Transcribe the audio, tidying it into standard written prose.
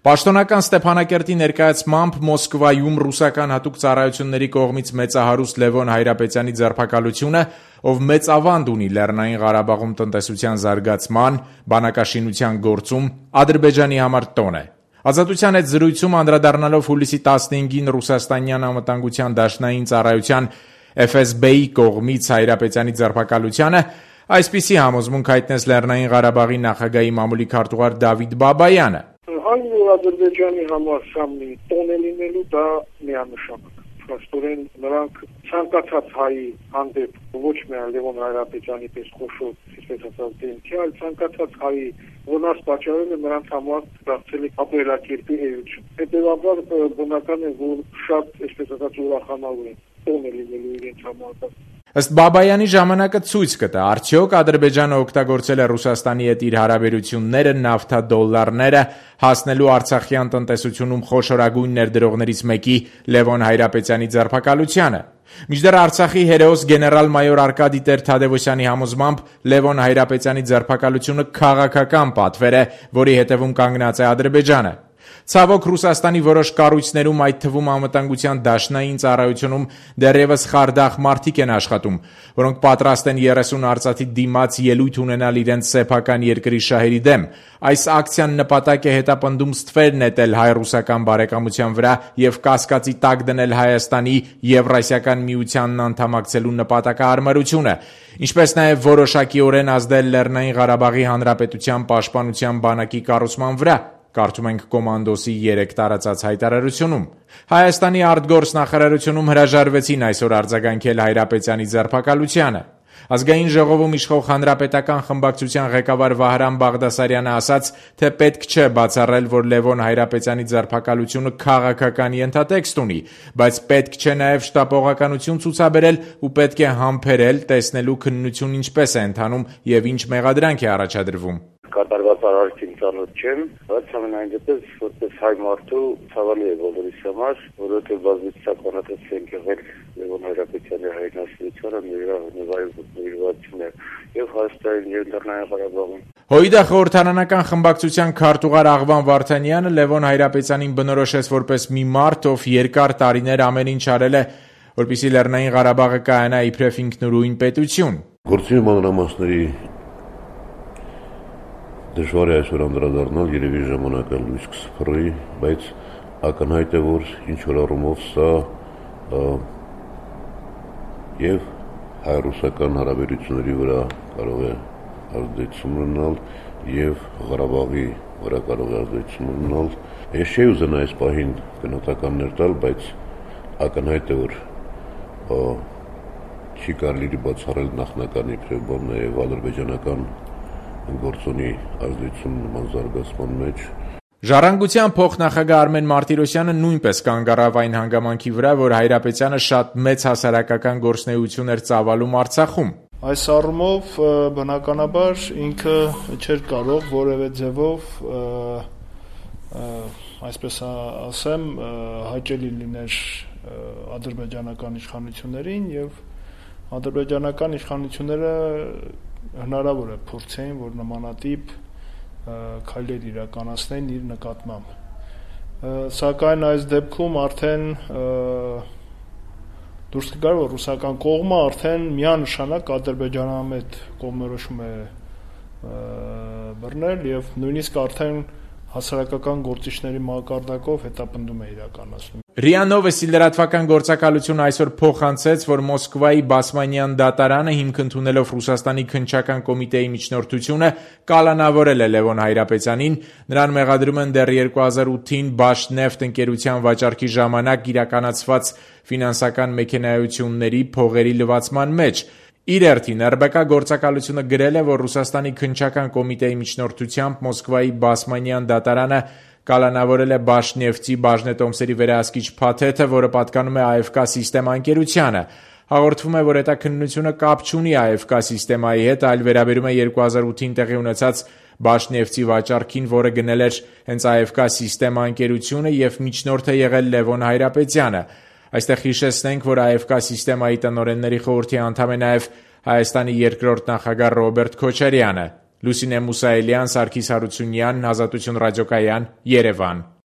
Պաշտոնական Ստեփանակերտի ներկայացմամբ Մոսկվայում ռուսական հատուկ ծառայությունների կողմից մեծահարուստ Լևոն Հայրապետյանի ձերբակալությունը, ով մեծ ավանդ ունի Լեռնային Ղարաբաղում տնտեսության զարգացման, բանակաշինության գործում, Ադրբեջանի համար տոն է։ Ազատության հետ զրույցում անդրադառնալով հուլիսի 15-ին ռուսաստանյան անվտանգության դաշնային ծառայության FSB-ի կողմից Հայրապետյանի ձերբակալությանը, այսպիսի համոզմունք հայտնեց Լեռնային Ղարաբաղի նախագահի մամուլի քարտուղար Դավիթ Բաբայանը։ Այն որ Ադրբեջանի համար սա մի տոն է լինելու, դա միանշանակ։ Փաստորեն նրանք ցանկացած հայի հանդեպ ոչ միայն Լևոն Հայրապետյանի պես խոշոր, այսպես ասած, դեմքի, այլ ցանկացած հայի վնաս պատճառելը նրանց համար դարձել է ապրելակերպի էություն։ Հետևաբար բնական է, որ շատ, այսպես ասած, ուրախանալու են տոն է լինելու իրենց համար։ Ըստ Բաբայանի ժամանակը ցույց կտա, արդյոք Ադրբեջանը օգտագործել է Ռուսաստանի հետ իր հարաբերությունները, նավթադոլարները հասնելու Արցախյան տնտեսությունում խոշորագույն ներդրողներից մեկի Լևոն Հայրապետյանի ձերբակալությանը։ Մինչդեռ Արցախի հերոս գեներալ-մայոր Արկադի Տեր-Թադևոսյանի համոզմամբ Լևոն Հայրապետյանի ձերբակալությունը քաղաքական պատվեր է, որի հետևում կանգնած է Ադրբեջանը։ Ցավոք Ռուսաստանի որոշ կառույցներում, այդ թվում անվտանգության դաշնային ծառայությունում դեռևս խարդախ մարդիկ են աշխատում, որոնք պատրաստ են 30 արծաթի դիմաց ելույթ ունենալ իրենց սեփական երկրի շահերի դեմ։ Այս ակցիան նպատակ է հետապնդում ստվեր նետել հայ-ռուսական բարեկամության վրա եւ կասկածի տակ դնել Հայաստանի Եվրասիական միությանն անդամակցելու նպատակահարմարությունը, ինչպես նաեւ որոշակիորեն ազդել Լեռնային Ղարաբաղի Հանրապետության պաշտպանության բանակի կառուցման վրա։ Կարդում ենք Կոմանդոսի 3 տարածած հայտարարությունում։ Հայաստանի արտգործ նախարարությունում հրաժարվեցին այսօր արձագանքել Հայրապետյանի ձերբակալությանը։ Ազգային ժողովում իշխող հանրապետական խմբակցության ղեկավար Վահրամ Բաղդասարյանը ասաց, թե պետք չէ բացառել, որ Լևոն Հայրապետյանի ձերբակալությունը քաղաքական ենթատեքստ ունի, բայց պետք չէ նաև շտապողականություն ցուցաբերել ու պետք է համբերել, տեսնելու քննություն ինչպես է ընթանում եւ ինչ մեղադրանք է առաջադրվում։ Կատարված արարքին ծանոթ չեմ, բայց ամենայն դեպս որպես հայ մարդու ցավալի է բոլորիս համար, որովհետև բազմիցականացած ենք եղել Լևոն Հայրապետյանի հայրենասիրությանը, նրա նվիրվածությունը եւ Հայաստանի եւ Լեռնային Ղարաբաղում։ ՀՅԴ խորհրդարանական խմբակցության քարտուղար Աղվան Վարդանյանը Լևոն Հայրապետյանին բնորոշեց որպես մի մարդ, ով երկար տարիներ ամեն ինչ արել է, որպեսզի Լեռնային Ղարաբաղը կայանա իբրև ինքնուրույն պետություն։ Գործի մանրամասների դժվար է այսօր անդրադառնալ, երևի ժամանակը լույս կսփռի, բայց ակնհայտ է, որ ինչ-որ առումով սա եւ հայ-ռուսական հարաբերությունների վրա կարող է ազդեցություն ունենալ եւ Ղարաբաղի վրա կարող է ազդեցություն ունենալ։ Ես չէի ուզենա այս պահին գնահատականներ տալ, բայց ակնհայտ է, որ չի կարելի բացառել նախնական իբրև բան նաեւ ադրբեջանական գործոնի ազդեցություն նման զարգացման մեջ։ Ժառանգության փոխնախագահ Արմեն Մարտիրոսյանը նույնպես կանգ առավ այն հանգամանքի վրա, որ Հայրապետյանը շատ մեծ հասարակական գործունեություն էր ծավալում Արցախում։ Այս առումով բնականաբար ինքը չէր կարող որևէ ձևով, այսպես ասեմ, հաճելի լիներ ադրբեջանական իշխանություններին եւ ադրբեջանական իշխանությունները հնարավոր է փորձեին, որ նմանատիպ քայլեր իրականացնեն իր նկատմամբ։ Սակայն այս դեպքում արդեն դուրս կգար, որ ռուսական կողմը արդեն միանշանակ ադրբեջանամետ կողմնորոշում է բռնել եւ նույնիսկ արդեն հասարակական գործիչների մակարդակով հետապնդում է իրականացնում։ ՌԻԱ Նովոստի լրատվական գործակալությունը այսօր փոխանցեց, որ Մոսկվայի Բասմանյան դատարանը հիմք ընդունելով Ռուսաստանի քննչական կոմիտեի միջնորդությունը կալանավորել է Լևոն Հայրապետյանին, նրան մեղադրում են դեռ 2008-ին Բաշնեֆտ ընկերության վաճառքի ժամանակ իրականացված ֆինանսական մեքենայությունների փողերի լվացման մեջ։ Իր հերթին ՌԲԿ գործակալությունը գրել է, որ Ռուսաստանի քննչական կոմիտեի միջնորդությամբ Մոսկվայի Բասմանյան դատարանը կալանավորել է Բաշնեֆտի բաժնետոմսերի վերահսկիչ փաթեթը, որը պատկանում է ԱՖԿ սիստեմա ընկերությանը։ Հաղորդվում է, որ հետաքննությունը կապ չունի ԱՖԿ սիստեմայի հետ, այլ վերաբերում է 2008-ին տեղի ունեցած Բաշնեֆտի վաճառքին, որը գնել էր հենց ԱՖԿ սիստեմա ընկերությունը եւ միջնորդ է եղել Լևոն Հայրապետյանը։ Այստեղ հիշեցնենք, որ ԱՖԿ սիստեմայի տնօրենների խորհրդի անդամ է նաև Հայաստանի երկրորդ նախագահ Ռոբերտ Քոչարյանը։ Լուսինե Մուսայելյան, Սարգիս Հարությունյան, Ազատություն ռադիոկայան, Երևան։